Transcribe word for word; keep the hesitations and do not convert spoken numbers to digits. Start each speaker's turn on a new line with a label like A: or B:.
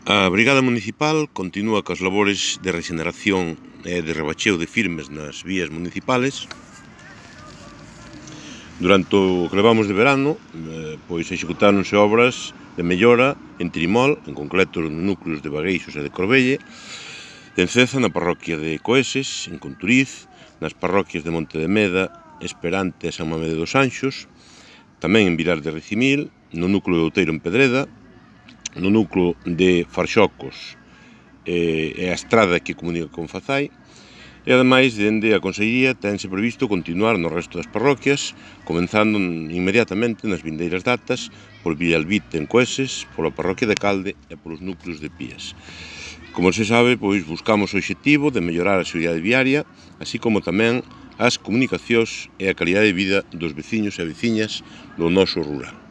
A: A Brigada Municipal continúa coas labores de rexeneración e de rebacheo de firmes nas vías municipales. Durante o que levamos de verano, pois executáronse obras de mellora en Trimol, en concreto nos núcleos de Bagueixos e de Corbelle, en Ceza, na parroquia de Coeses, en Conturiz, nas parroquias de Monte de Meda, Esperante e San Mamede dos Anxos, tamén en Vilar de Ricimil, no núcleo de Outeiro en Pedreda, no núcleo de Farxocos e a estrada que comunica con Fazai, e ademais, dende a Consellería, tense previsto continuar no resto das parroquias, comenzando inmediatamente nas vindeiras datas por Villalbite en Coeses, pola parroquia de Calde e polos núcleos de Pías. Como se sabe, pois buscamos o obxectivo de mellorar a seguridade viaria, así como tamén as comunicacións e a calidade de vida dos veciños e veciñas do noso rural.